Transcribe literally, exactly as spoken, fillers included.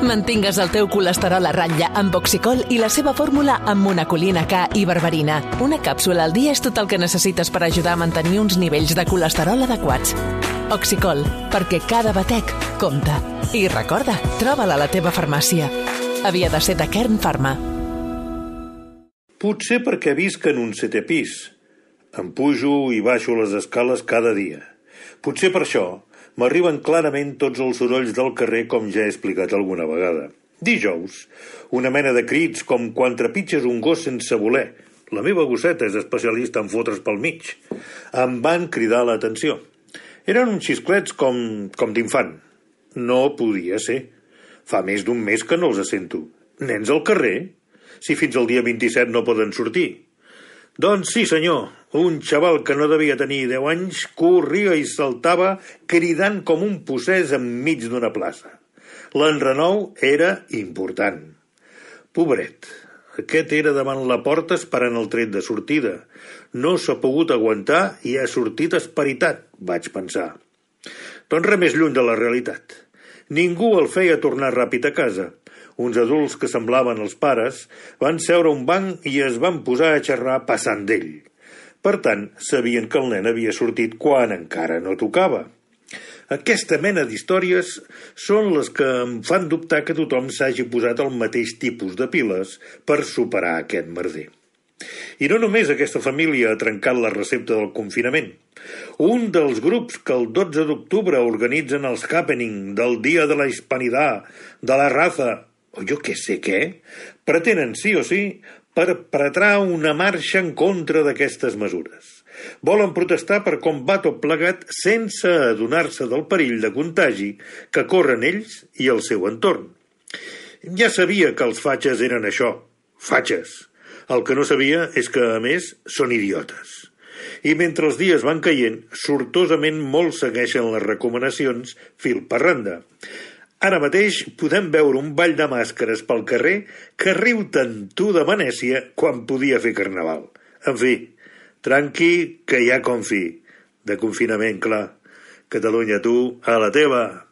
Mantingues el teu colesterol a ratlla amb Oxicol i la seva fórmula amb monacolina K i berberina. Una càpsula al dia és tot el que necessites per ajudar a mantenir uns nivells de colesterol adequats. Oxicol, perquè cada batec compta. I recorda, troba-la a la teva farmàcia. Havia de ser de Kern Pharma. Potser perquè visc en un setè pis. Em pujo i baixo les escales cada dia. Potser per això m'arriben clarament tots els sorolls del carrer, com ja he explicat alguna vegada. Dijous, una mena de crits com quan trepitges un gos sense voler. La meva gosseta és especialista en fotre's pel mig. Em van cridar l'atenció. Eren uns xisclets com, com d'infant. No podia ser. Fa més d'un mes que no els sento. Nens al carrer? Si fins al dia vint-i-set no poden sortir. Doncs sí, senyor, un xaval que no devia tenir deu anys corria i saltava cridant com un possès enmig d'una plaça. L'enrenou era important. Pobret, aquest era davant la porta esperant el tret de sortida. No s'ha pogut aguantar i ha sortit esperitat, vaig pensar. Doncs res més lluny de la realitat. Ningú el feia tornar ràpid a casa. Uns adults que semblaven els pares van seure a un banc i es van posar a xerrar passant d'ell. Per tant, sabien que el nen havia sortit quan encara no tocava. Aquesta mena d'històries són les que em fan dubtar que tothom s'hagi posat el mateix tipus de piles per superar aquest merder. I no només aquesta família ha trencat la recepta del confinament. Un dels grups que el dotze d'octubre organitzen els happening del Dia de la Hispanidad, de la Raza, o jo què sé què, pretenen sí o sí perpetrar una marxa en contra d'aquestes mesures. Volen protestar per com va tot plegat sense adonar-se del perill de contagi que corren ells i el seu entorn. Ja sabia que els fatxes eren això, fatxes. El que no sabia és que, a més, són idiotes. I mentre els dies van caient, sortosament molts segueixen les recomanacions fil per randa. Ara mateix podem veure un ball de màscares pel carrer que riu tant tu de Venècia quan podia fer carnaval. En fi, tranqui, que hi ha confi. De confinament, clar. Catalunya, tu, a la teva.